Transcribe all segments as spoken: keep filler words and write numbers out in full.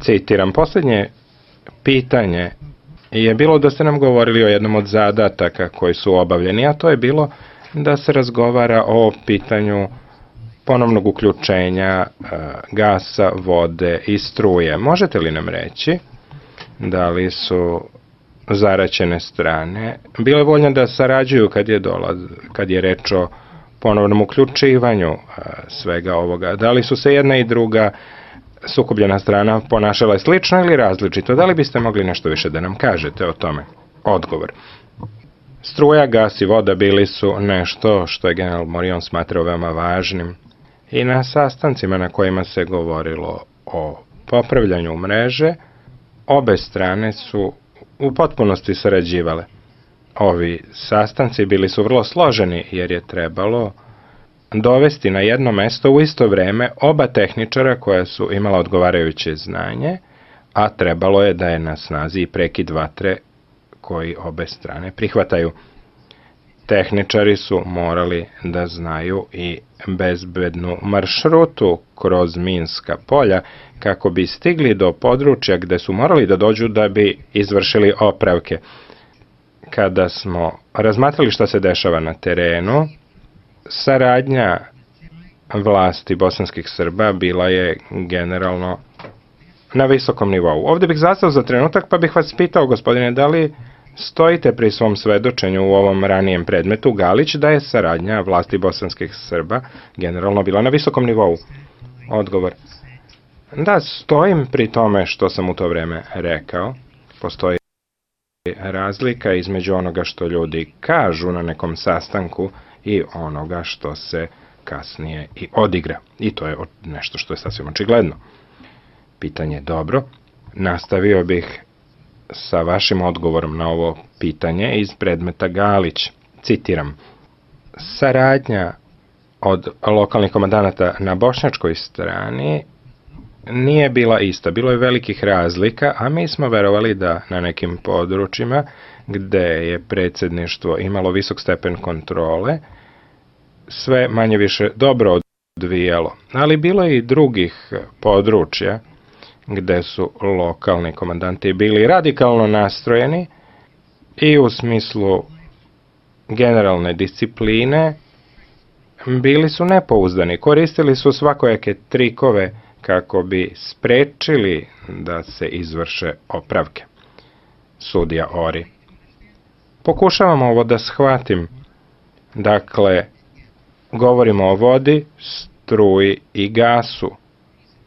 Citiram, posljednje pitanje je bilo da ste nam govorili o jednom od zadataka koji su obavljeni, a to je bilo da se razgovara o pitanju ponovnog uključenja gasa, vode i struje. Možete li nam reći da li su zaraćene strane bile voljne da sarađuju kad je, dolaz, kad je reč o ponovnom uključivanju svega ovoga? Da li su se jedna i druga sukobljena strana ponašala slično ili različito? Da li biste mogli nešto više da nam kažete o tome? Odgovor. Struja, gas i voda bili su nešto što je general Morion smatrao veoma važnim i na sastancima na kojima se govorilo o popravljanju mreže, obe strane su u potpunosti sarađivale. Ovi sastanci bili su vrlo složeni jer je trebalo dovesti na jedno mesto u isto vreme oba tehničara koja su imala odgovarajuće znanje, a trebalo je da je na snazi i prekid vatre koji obe strane prihvataju. Tehničari su morali da znaju i bezbednu maršrutu kroz minska polja kako bi stigli do područja gde su morali da dođu da bi izvršili opravke. Kada smo razmatrali šta se dešava na terenu, saradnja vlasti bosanskih Srba bila je generalno na visokom nivou. Ovde bih zastao za trenutak pa bih vas pitao, gospodine, da li stojite pri svom svedočenju u ovom ranijem predmetu Galić da je saradnja vlasti bosanskih Srba generalno bila na visokom nivou? Odgovor. Da, stojim pri tome što sam u to vreme rekao. Postoji razlika između onoga što ljudi kažu na nekom sastanku i onoga što se kasnije i odigra. I to je nešto što je sasvim očigledno. Pitanje je dobro. Nastavio bih sa vašim odgovorom na ovo pitanje iz predmeta Galić. Citiram. Saradnja od lokalnih komandanata na bošnjačkoj strani nije bila ista. Bilo je velikih razlika, a mi smo verovali da na nekim područjima gde je predsjedništvo imalo visok stepen kontrole, sve manje više dobro odvijalo. Ali bilo je i drugih područja gde su lokalni komandanti bili radikalno nastrojeni i u smislu generalne discipline bili su nepouzdani. Koristili su svakojake trikove kako bi sprečili da se izvrše opravke. Sudija Ori. Pokušavam ovo da shvatim. Dakle, govorimo o vodi, struji i gasu.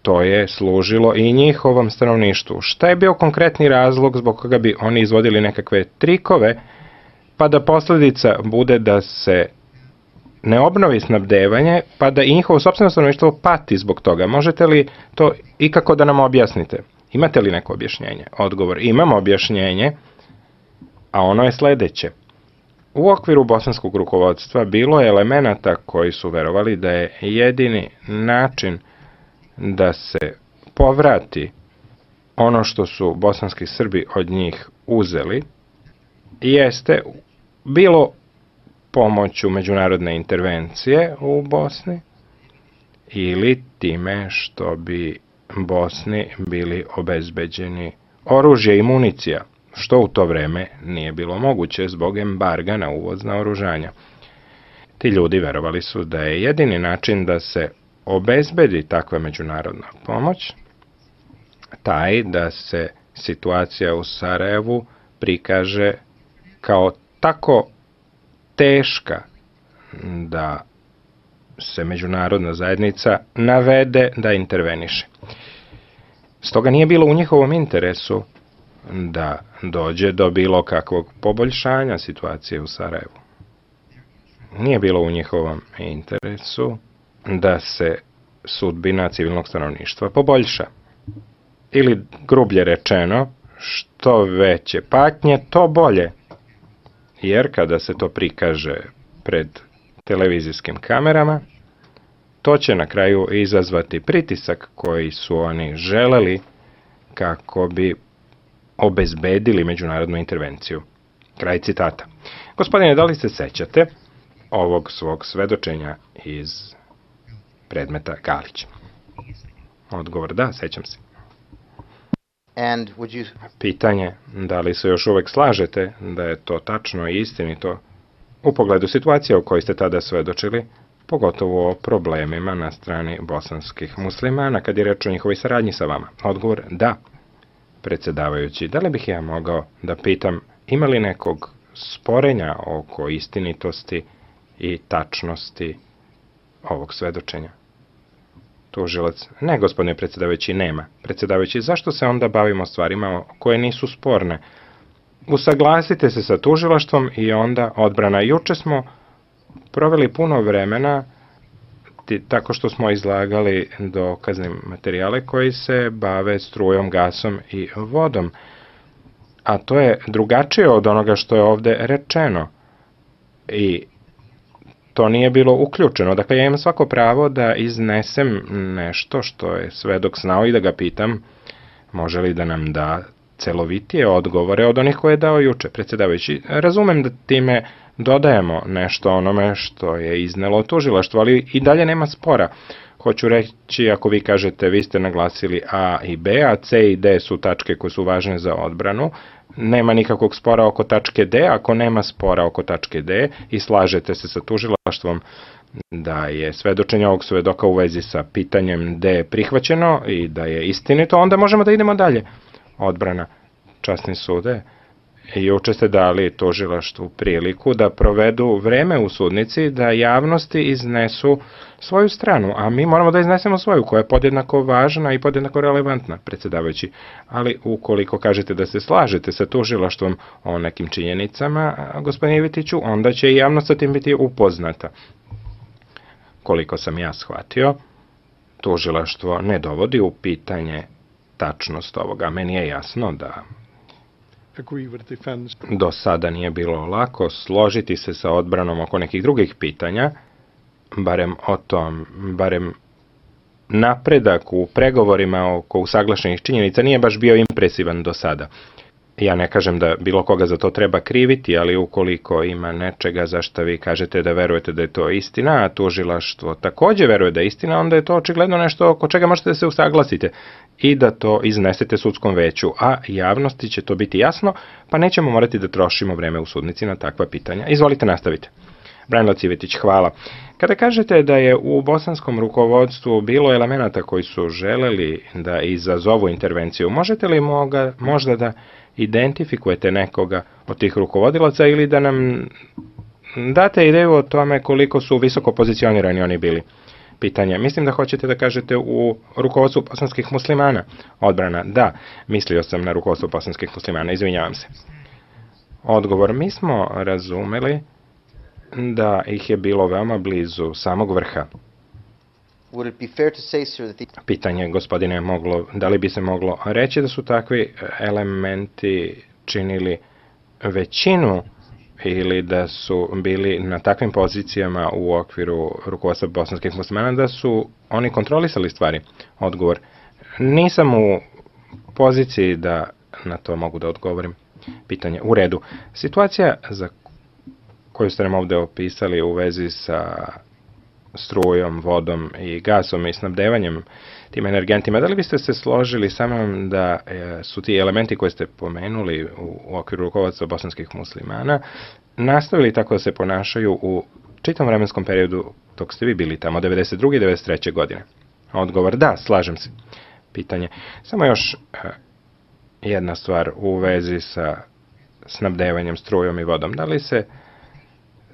To je služilo i njihovom stanovništvu. Šta je bio konkretni razlog zbog koga bi oni izvodili nekakve trikove, pa da posljedica bude da se ne obnovi snabdevanje, pa da i njihovo sopstveno stanovništvo pati zbog toga? Možete li to ikako da nam objasnite? Imate li neko objašnjenje? Odgovor. Imamo objašnjenje, a ono je sledeće. U okviru bosanskog rukovodstva bilo je elemenata koji su verovali da je jedini način da se povrati ono što su bosanski Srbi od njih uzeli, jeste bilo pomoću međunarodne intervencije u Bosni ili time što bi Bosni bili obezbeđeni oružje i municija, što u to vreme nije bilo moguće zbog embarga na uvoz naoružanja. Ti ljudi verovali su da je jedini način da se obezbedi takva međunarodna pomoć taj da se situacija u Sarajevu prikaže kao tako teška da se međunarodna zajednica navede da interveniše. Stoga nije bilo u njihovom interesu da dođe do bilo kakvog poboljšanja situacije u Sarajevu. Nije bilo u njihovom interesu da se sudbina civilnog stanovništva poboljša. Ili, grublje rečeno, što veće patnje, to bolje. Jer kada se to prikaže pred televizijskim kamerama, to će na kraju izazvati pritisak koji su oni želeli kako bi obezbedili međunarodnu intervenciju. Kraj citata. Gospodine, da li se sećate ovog svog svedočenja iz predmeta Galić? Odgovor da, sećam se. And would you... Pitanje, da li se još uvek slažete da je to tačno i istinito u pogledu situacije o kojoj ste tada svedočili, pogotovo o problemima na strani bosanskih muslimana, kad je reč o njihovoj saradnji sa vama? Odgovor, da. Predsjedavajući, da li bih ja mogao da pitam, ima li nekog sporenja oko istinitosti i tačnosti ovog svedočenja? Tužilac, ne, gospodine predsjedavajući, nema. Predsjedavajući, zašto se onda bavimo stvarima koje nisu sporne? Usaglasite se sa tužilaštvom i onda odbrana. Juče smo proveli puno vremena tako što smo izlagali dokazni materijale koji se bave strujom, gasom i vodom. A to je drugačije od onoga što je ovde rečeno. I to nije bilo uključeno. Dakle, ja imam svako pravo da iznesem nešto što je svedok znao i da ga pitam može li da nam da celovitije odgovore od onih koje je dao juče. Predsjedavajući, razumem da time dodajemo nešto onome što je iznelo tužilaštvo, ali i dalje nema spora. Hoću reći, ako vi kažete, vi ste naglasili A i B, a C i D su tačke koje su važne za odbranu, nema nikakvog spora oko tačke D, ako nema spora oko tačke D i slažete se sa tužilaštvom da je svedočenje ovog svedoka u vezi sa pitanjem D prihvaćeno i da je istinito, onda možemo da idemo dalje. Odbrana, časni sude, juče ste dali tužilaštvu priliku da provedu vreme u sudnici, da javnosti iznesu svoju stranu, a mi moramo da iznesemo svoju, koja je podjednako važna i podjednako relevantna, predsjedavajući. Ali ukoliko kažete da se slažete sa tužilaštvom o nekim činjenicama, gospodine Ivetiću, onda će i javnost sa tim biti upoznata. Koliko sam ja shvatio, tužilaštvo ne dovodi u pitanje tačnost ovoga. Meni je jasno da do sada nije bilo lako složiti se sa odbranom oko nekih drugih pitanja, barem o tom, barem napredak u pregovorima oko usaglašenih činjenica nije baš bio impresivan do sada. Ja ne kažem da bilo koga za to treba kriviti, ali ukoliko ima nečega za što vi kažete da verujete da je to istina, a tužilaštvo takođe veruje da je istina, onda je to očigledno nešto oko čega možete da se usaglasite i da to iznesete sudskom veću, a javnosti će to biti jasno, pa nećemo morati da trošimo vreme u sudnici na takva pitanja. Izvolite, nastavite. Branislav Civetić, hvala. Kada kažete da je u bosanskom rukovodstvu bilo elemenata koji su želeli da izazovu intervenciju, možete li moga, možda da identifikujete nekoga od tih rukovodilaca ili da nam date ideju o tome koliko su visoko pozicionirani oni bili? Pitanje. Mislim da hoćete da kažete u rukovodstvu bosanskih muslimana. Odbrana. Da, mislio sam na rukovodstvo bosanskih muslimana. Izvinjavam se. Odgovor. Mi smo razumeli da ih je bilo veoma blizu samog vrha. Pitanje, gospodine, moglo, da li bi se moglo reći da su takvi elementi činili većinu ili da su bili na takvim pozicijama u okviru rukovodstva bosanskih muslimana da su oni kontrolisali stvari? Odgovor. Nisam u poziciji da na to mogu da odgovorim. Pitanje. U redu. Situacija za koju ste nam ovde opisali u vezi sa strujom, vodom i gasom i snabdevanjem tim energentima, da li biste se složili sa mnom da su ti elementi koje ste pomenuli u okviru rukovodstva bosanskih muslimana nastavili tako da se ponašaju u čitom vremenskom periodu dok ste vi bili tamo, devedeset druge i devedeset treće godine? Odgovor, da, slažem se. Pitanje, samo još jedna stvar u vezi sa snabdevanjem strujom i vodom. Da li se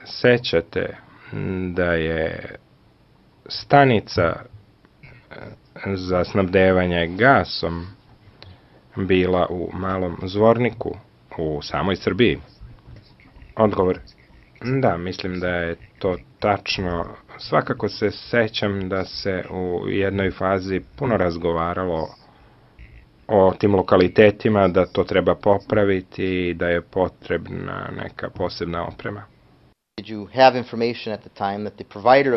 sećate da je stanica za snabdevanje gasom bila u Malom Zvorniku u samoj Srbiji? Odgovor. Da, mislim da je to tačno. Svakako se sećam da se u jednoj fazi puno razgovaralo o tim lokalitetima, da to treba popraviti i da je potrebna neka posebna oprema.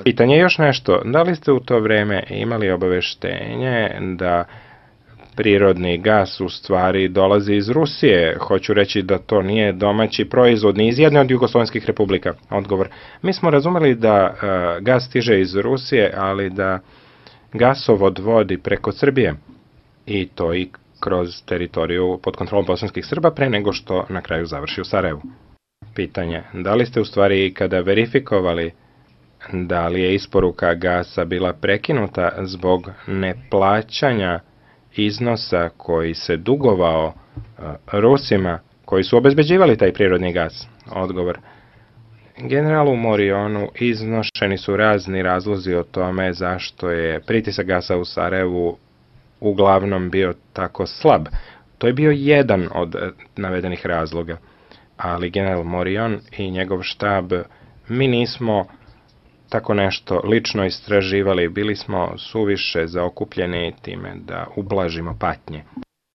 Pitanje je još nešto. Da li ste u to vreme imali obaveštenje da prirodni gas u stvari dolazi iz Rusije? Hoću reći da to nije domaći proizvod ni iz jedne od jugoslovenskih republika. Odgovor. Mi smo razumeli da uh, gas stiže iz Rusije, ali da gasovod vodi preko Srbije. I to i kroz teritoriju pod kontrolom bosanskih Srba pre nego što na kraju završi u Sarajevu. Pitanje, da li ste u stvari ikada verifikovali da li je isporuka gasa bila prekinuta zbog neplaćanja iznosa koji se dugovao Rusima koji su obezbeđivali taj prirodni gas? Odgovor. Generalu Morionu iznošeni su razni razlozi o tome zašto je pritisak gasa u Sarajevu uglavnom bio tako slab. To je bio jedan od navedenih razloga. Ali general Morion i njegov štab, mi nismo tako nešto lično istraživali, bili smo suviše zaokupljeni time da ublažimo patnje.